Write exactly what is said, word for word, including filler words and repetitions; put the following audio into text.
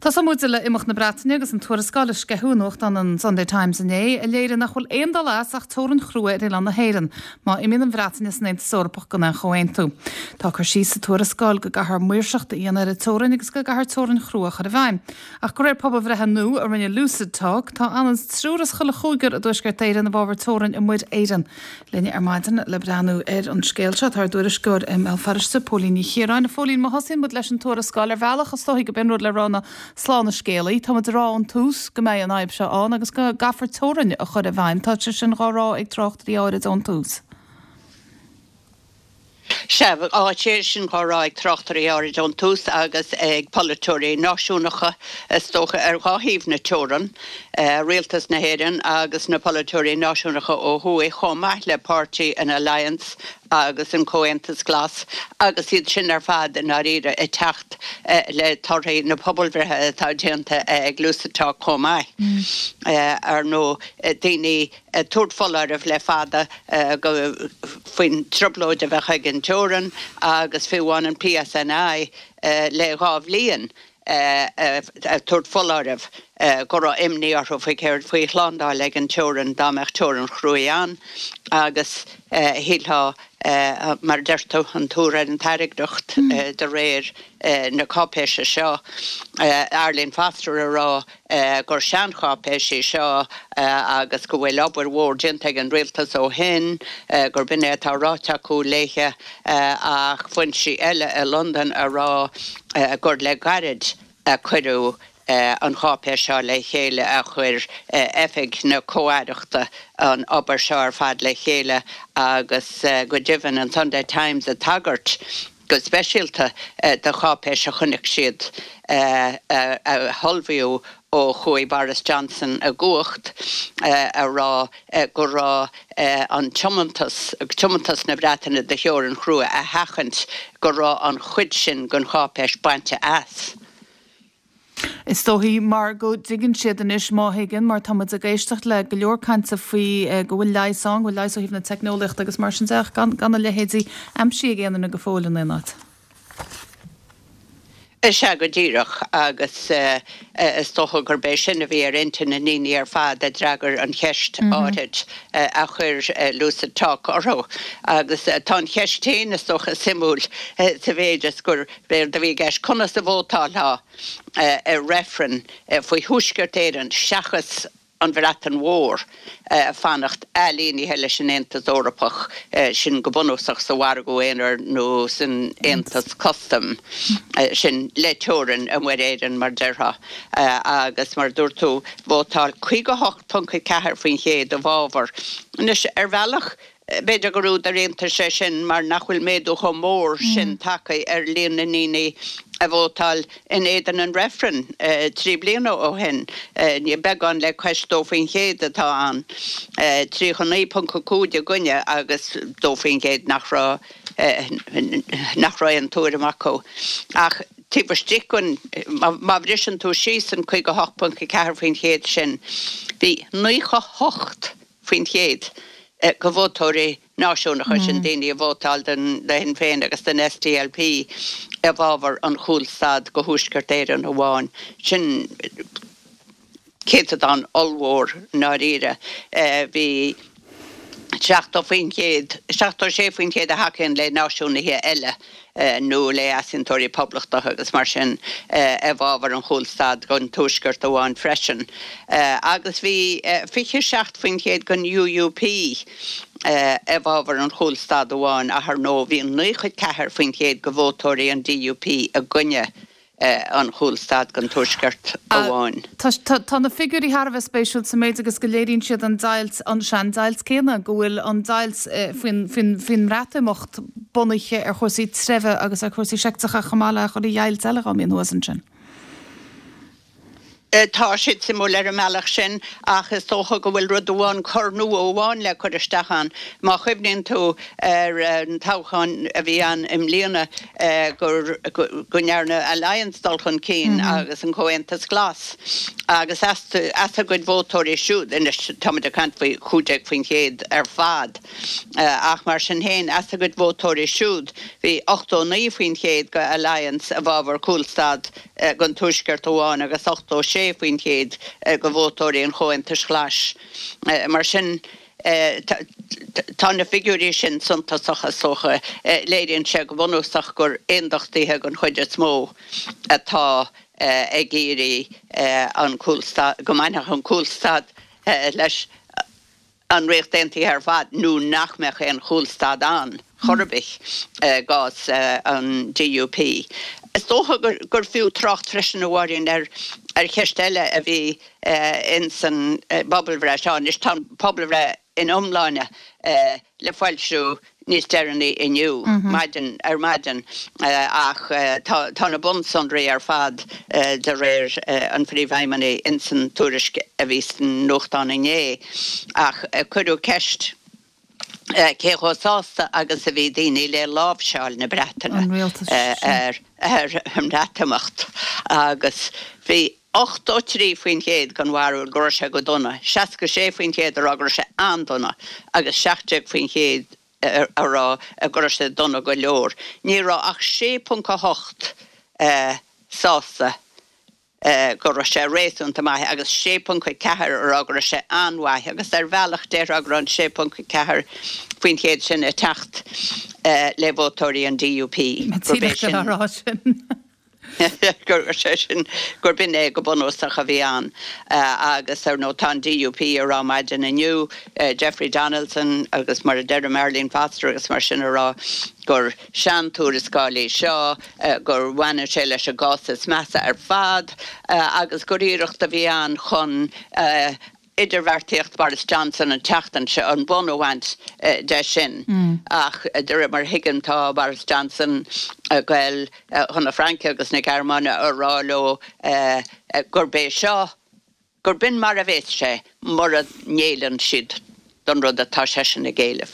Tosóidh muid le imeacht na Breataine agus an tuarascáil a sceitheadh i nuachtán an Sunday Times inné a léirigh nach bhfuil aon dul as ach teorainn chrua ar oileán na hÉireann má imíonn an Bhreatain as an Aontas Eorpach gan aon chomhaontú. Tá cur síos sa tuarascáil go gcaithfear maoirseacht a dhéanamh ar an teorainn agus go gcaithfear teorainn chrua a chur i bhfeidhm. Ach de réir pobalbhreithe nua a rinne Lucid Talk tá ionann is triúr as chuile chúigear i dTuaisceart Éireann i bhfabhar teorainn i Muir Éireann. Linn ar maidin le breathnú ar an scéal seo tá ár dtuairisceoir i mBéal Feirste Póilín Ní Chiaráin. A Phóilín má thosaíonn muid leis an tuarascáil ar bhealach is dóigh gurb in rud le rá ná slán an scéal í. Tá muid ag rá ón tús go mbeidh an fhadhb seo ann agus go gcaithfear teorainn a chur i bhfeidhm. Tá sé sin á rá ag tráchtairí áirid ón tús. Sea, tá sé sin á rá ag tráchtairí áirid ón tús agus ag polaiteoirí náisiúnacha is dócha ar dhá thaobh na teorann, rialtas na hÉireann agus na polaiteoirí náisiúnacha ó thuaidh chomh maith le páirtí an Alliance agus an Comhaontas Glas agus iad sin ar fad i ndáiríre ag teacht le torthaí na pobalbhreithe atá déanta ag Lucid Talk chomh maith. Ar ndóigh daoine ag tabhairt foláireamh le fada go faoin trioblóid a bheadh ag an teorainn agus fiú amháin an PSNI le dhá bhliain ag tabhairt foláireamh go raibh imní orthu faoi céard faoi shlándáil ag an teorainn dá mbeadh teorainn chruaidh ann agus shílfeá mar a deir tú an tuar ar an tairngreacht de réir na cáipéise seo. Arlene Foster ag rá gur seancháipéis í seo agus go bhfuil obair mhór déanta ag an rialtas ó shin, gurb in é atá ráite acu léithe ach foinsí eile i Londain ag rá gur le gairid a cuireadh an cháipéis seo le chéile a chuir oifig na comh-aireachta an obair seo ar fad le chéile agus go deimhin an Sunday Times ag tagairt go speisialta do cháipéis a chonaic siad a hullmhaíodh ó chuaigh Boris Johnson i gcumhacht ag rá go raibh an tiomantas tiomantas na Breataine do theorainn chrua a sheachaint go raibh an chuid sin den cháipéis bainte as. Is dóigh mar go dtuigeann siad anois má thuigeann mar tá muid ag éisteacht le go leor cainte faoi go bhfuil leigheas ann, go bhfuil leigheas ó thaobh na teicneolaíochta agus mar sin de ach gan gan a leithéidí aimsithe ag aon duine go fóill in aon áit. Is ea go díreach agus is dócha gurb é sin a bhí ar intinn na ndaoine ar fad a d'fhreagair an cheist áirid a chuir Lucid Talk orthu. Agus tá an cheist féin is dócha suimiúil sa mhéid is gur b'éard a bhí i gceist conas a vótálfá i reifreann faoi Thuaisceart Éireann seachas an Bhreatain Mhór fanacht ailínithe leis an Aontas Eorpach, sin go bunúsach sa mhargadh aonair nó san Aontas Custaim, sin le teorainn i Muir Éireann mar déarfá. Agus mar a dúirt tú, vótáil caoga a hocht ponc a ceathair faoin chéad i bhfabhar. Anois, ar bhealach, B'fhéidir gur údar iontais é sin mar nach bhfuil méadú chomh mór sin tagtha ar líon na ndaoine a vótáil in éadan an reifrinn trí bliana ó shin. Beagán le cois dó faoin chéad atá ann, tríocha naoi ponc a cúig i gcoinne agus dó faoin gcéad nach raibh nach raibh aon tuairim acu. Ach taobh istigh den, má bhriseann tú síos an caoga a hocht ponc a ceathair faoin chéad sin, bhí naocha hocht faoin chéad de vótóirí náisiúnacha, sin daoine a vótáil do Shinn Féin agus don SDLP, i bhfabhar an chúlstad do Thuaisceart Éireann amháin. Sin céatadán ollmhór i ndáiríre. Bhí seachtó faoin chéad, seachtó sé faoin chéad a thacaíonn le náisiúnaithe eile. nó le easaontóirí poblachtacha agus mar sin i bhfabhar an chúlstad don Tuaisceart amháin freisin. Agus bhí fiche seacht faoin chéad den UUP i bhfabhar an chúlstad amháin ach ar ndóigh bhí naocha ceathair faoin chéad de vótóirí an DUP i gcoinne an chúlstad don Tuaisceart amháin. Tá na figiúirí thar a bheith spéisiúil sa méid agus go léiríonn siad an deighilt, an seandeighilt céanna, go bhfuil an deighilt faoin mBreatimeacht bunaithe ar chúrsaí treibhe agus ar chúrsaí seicteacha chomh maith le chuile dheighilt eile dhá mbíonn thuas ansin. Tá siad suimiúil ar an mbealach sin ach is dócha go bhfuil rud amháin, cor nua amháin le cur isteach ann. Má chuimhníonn tú ar an toghchán a bhí ann i mbliana gur go ndearna Alliance dul chun cinn agus an Comhaontas Glas agus as a gcuid vótóirí siúd, anois táimid ag caint faoi chúig déag faoin chéad ar fad ach mar sin féin as a gcuid vótóirí siúd bhí ochtó naoi faoin chéad go Alliance i bhfabhar cúlstad den Tuaisceart amháin agus ochtó sé faoin chéad de vótóirí an Chomhaontais Ghlais. Mar sin, tá na figiúirí sin suntasach is dócha. Léiríonn sé go bunúsach gur aondachtaithe den chuid is mó atá ag iarraidh an cúlstad, go mbainfeadh an cúlstad leis an Ríocht Aontaithe ar fad nó nach mbeadh aon chúlstad ann chor ar bith i gcás an D U P. Is dócha gur fiú trácht freisin, a Mháirín, ar ar cheist eile a bhí ins an bpobalbhreith seo. Anois tá an pobalbhreith ina iomláine le foilsiú níos deireanaí inniu, maidin ar maidin, ach tá tá na bunsonraí ar fad, de réir an phríomhfheidhmeannaigh, ins an tuairisc a bhí san nuachtán inné. Ach cuireadh ceist cé chomh sásta agus a bhí daoine le láimhseáil na Breataine ar ar an mBreatimeacht, agus bhí ochtó trí faoin chéad den bharúil go raibh sé go dona, seasca sé faoin chéad a rá go raibh sé an-dona agus seacht déag faoin chéad a rá go raibh sé dona go leor. Ní raibh ach sé ponc a hocht sásta go raibh sé réasúnta maith agus sé ponc a ceathair a rá go raibh sé an-mhaith, agus ar bhealach déarfá go raibh an sé ponc a ceathair faoin chéad sin ag teacht le vótóirí an D U P. Gurb é sin rá sin. Gur sé sin gur b'in é go bunúsach a bhí ann, agus ar ndóigh tá an D U P ag rá maidin inniu, Jeffrey Donaldson agus, mar a deirim, Arlene Foster agus mar sin, a rá gur seantuarascáil í seo, gur bhaineann sé leis an gcás is measa ar fad agus gur iarracht a bhí ann chun idirbheartaíocht Boris Johnson an tseachtain seo an bonn a bhaint de sin. Ach de réir mar a thuigim, tá Boris Johnson ag goil chun na Fraince agus na Gearmáine a rá leo gurb é seo, gur b'in mar a bheas sé mura ngéilleann siad don rud atá seisean ag éileamh.